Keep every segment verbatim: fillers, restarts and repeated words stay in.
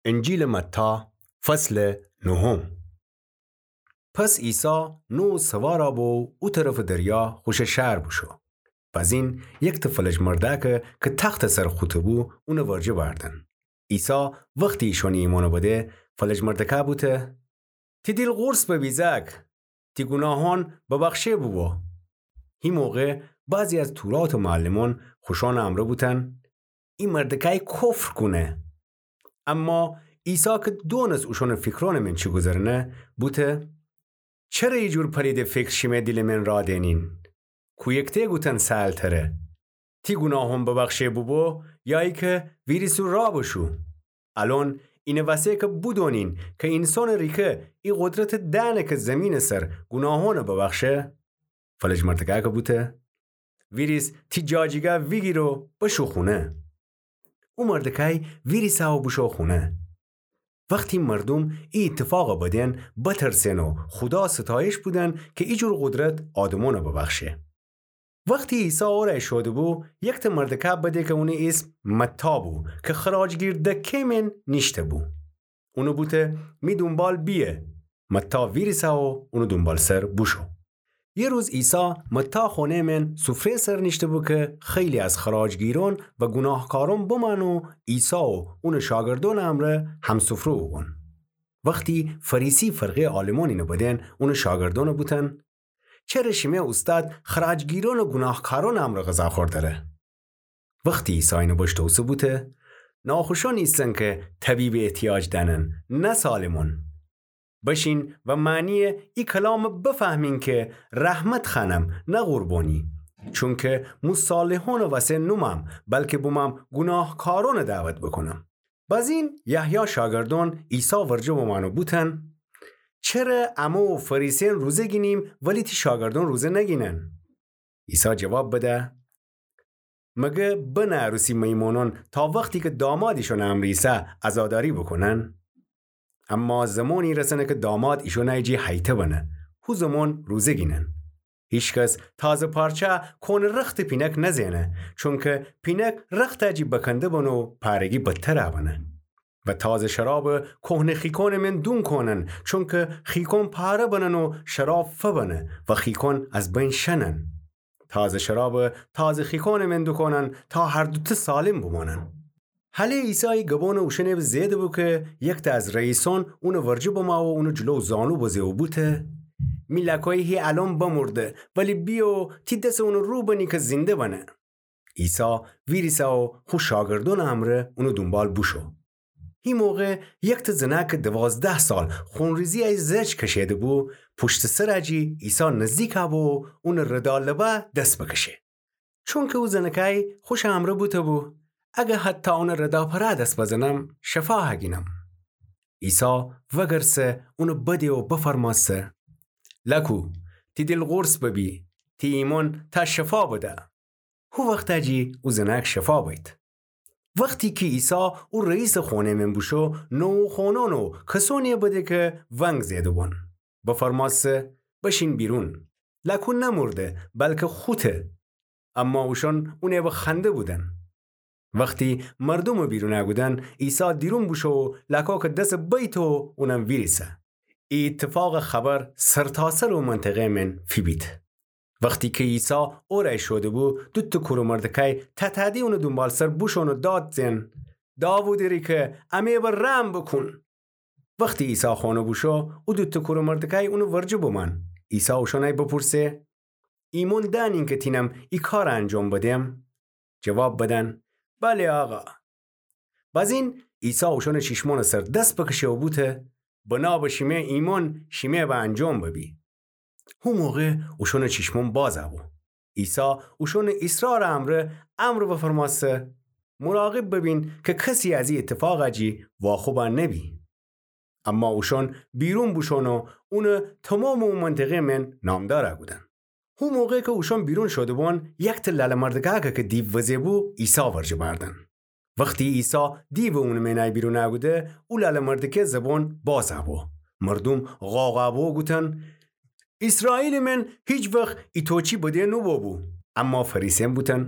انجیلٚ متی، فصلٚ نهم. پس عیسی نوع سوارَ بو او طرفٚ دریا خوشٚ شهر بوشو. بزین یکتأ فلج مردأکَ کی تختٚ سر خوطه بو، اونٚ ورجه بأردن. عیسی وختی ایشأنٚ ایمأنَ بده، فلج مردأکَ بوته: تی دیل قورص ببی زأک، تی گوناهأن ببخشه بوبو. هی موقع بعضی از توراتٚ معلمأن خوشأنٚ امرأ بوتن: ای مردأکأی کفر کونه. اما عیسی کی دونست اوشأنٚ فیکرأنٚ من چی گوذرنه، بوته: چره ایجور پلیدٚ فیکر شیمه دیلٚ من راه دئنین؟ کویکته گوتن سهل‌تره: تی گوناهأن ببخشه بوبو، یا ایکه ویریس و راه بشو؟ الأن اینٚ وسه کی بودونین کی اینسانٚ ریکه ای قدرتَ دأنه کی زیمینٚ سر گوناهأنَ ببخشه، فلج مردأکَ بوته: ویریس تی جاجیگا ویگیر و بشو خونه. او مردأکأی ویریسه و بوشو خونه. وختی مردوم ای ایتفاقَ بدن، بترسن و خودا ستایش بودن کی ایجور قدرت آدمأنَ ببخشه. وختی عیسی اورأی شوده‌بو، یکتأ مردأکَ بده کی اونٚ ایسم متی بو، کی خراجگیر دکه من نیشته‌بو. اونَ بوته: می دونبال بیه. متی ویریسه و اونٚ دونبالسر بوشو. یه روز عیسی متی خونه من سفره سر نیشته‌بو کی خیلی از خراجگیرأن و گوناهکارأن بمأن و عیسی و اونٚ شاگردأنٚ امرأ همسفره بوبون. وختی فریسی فرقه‌یٚ عالمأن اینَ بدن، اونٚ شاگردأنَ بوتن: چره شیمه اوستاد خراجگیرأن و گوناهکارأنٚ امرأ غذا خوردره؟ وختی عیسی اینَ بشنوسته بوته: ناخوشأن ایسن کی طبیب احتیاج دأنن، نه سالمأن. بشین و معنیٚ ای کلامَ بفهمین کی رحمت خوأنم، نه قربانی. چونکی مو صالحأنٚ وسه نومم، بلکی بومم گوناهکارأنٚ دعوت بوکونم. بزین یحیی شاگردأن عیسی ورجه بمأن و بوتن: چره امو و فریسیأن روزه گینیم، ولی تی شاگردأن روزه نگینن؟ عیسی جواب بده: مگر بنه عروسی میمونأن تا وختی کی داماد ایشأنٚ امرأ ایسه عزاداری بوکونن؟ اما زمانی رسنه کی داماد ایشأنٚ جی هیته بنه، هو زمان روزه گینن. هیکس تازه پارچه کهنه رختٚ پینک نزئنه، چونکی پینک رختٚ جی بکنده بنه و پارگی بدتر بنه. و تازه شرابَ کهنه خیکأنٚ من دون کونن، چونکی خیکأن پاره بنن و شراب فبنه و خیکأن از بین شنن. تازه شرابَ تازه خیکأنٚ من دوکونن تا هر دوتأ سالم بومانن. هله عیسی ای گبأنَ اوشأنٚ به زئده‌بو کی یکتأ از رئیسأن اونٚ ورجه بمأ و اونٚ جلو زانو بزه و بوته: می لأکویی هی الأن بمرده، ولی بیه و تی دسٚ اونٚ رو بنی کی زینده بنه. عیسی ویریسه و خو شاگردأنٚ امرأ اونٚ دونبال بوشو. هی موقع یکتأ زنأک کی دوازده سال خونریزی‌یٚ زج کشئیده‌بو، پوشتٚ سرٚ جی عیسی نزدیک بو و اونٚ ردا لبه دس بکشه. چونکی او زنأکأی خوشٚ امرأ بوته‌بو، اگر حتی اونٚ ردا پره دس بزنم، شفا هگینم. عیسی وگرسه اونٚ بده و بفرمأسه: لأکو، تی دیل قورص ببی، تی ایمأن تأ شفا بده. هو وختٚ جی او زنأک شفا بید. وختی کی عیسی او رئیسٚ خونه‌یٚ من بوشو، نوحه‌خوأنأن و کسأنی‌یَ بده کی ونگ زئده‌بون، بفرمأسه: بشین بیرون. لأکو نمرده، بلکی خوطه. اما اوشأن اونٚ به خنده بودن. وختی مردومَ بیرون کودن، عیسی دیرون بوشو و لأکویَ دس بیته و اونم ویریسه. ای ایتفاقٚ خبر سرتاسرٚ او منطقه من فیبید. وختی کی عیسی اورأی شوده‌بو، دوتأ کورٚ مردکأی تأتأدی اونٚ دونبالسر بوشون و داد زئن: داوودٚ ریکه، امه‌یَ به رحم بوکون. وختی عیسی خانه بوشو، او دوتأ کورٚ مردکأی اونٚ ورجه بومأن. عیسی اوشأنأی بوپورسه: ایمأن دأنین کی تینم ای کارَ انجام بدم؟ جواب بدن: بله آقا. بأزین عیسی اوشأنٚ چیشمأنٚ سر دس بکشه و بوته: بنا به شیمه ایمأن شیمه به انجام ببی. هو موقع اوشأنٚ چیشمأن باز بو. عیسی اوشأنٚ ایصرارٚ امرأ امر بفرمأسه: مراقب ببین کی کسی از ای ایتفاقٚ جی واخوب نبی. اما اوشأن بیرون بوشون و اونٚ تومامٚ او منطقه من نامدار کودن. هو موقع کی اوشأن بیرون شوده‌بون، یکتأ لأله‌مردکأکَ کی دیو وزه‌بو، عیسی ورجه بأردن. وختی عیسی دیوٚ اونٚ مئنأی بیرون کوده، او لأله‌مردکه زبان باز بو. مردوم قاقا بو گوتن: ایسرائیلٚ من هیچ وخت ایتوچی بده نوبوبو. اما فریسیأن بوتن: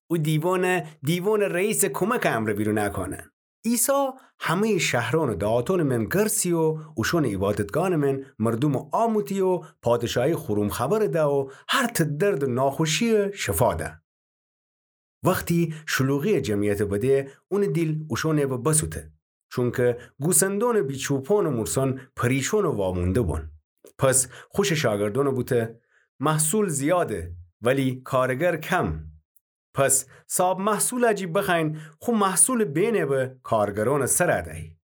او دیوانَ دیوانٚ رئیسٚ کمکٚ امرأ بیرون کونه. عیسی همه‌یٚ شهرأن و دهاتأنٚ من گرسی و اوشأنٚ عیبادتگاهأنٚ من مردومٚ آموتی و پادشاهی خوروم خبر ده و هر ته درد و ناخوشی شفا ده. وختی شلوغی جمعیت بده، اونٚ دیل اوشأنٚ به بسوته، چونکه گوسندونٚ بیچوپان و مورسان پریشان و وامونده بون. پس خوشٚ شاگردأن بوته: محصول زیاده، ولی کارگر کم. پس صاحب محصول جی بخوأیین خو محصولٚ بینه به کارگرأنٚ سر دهی.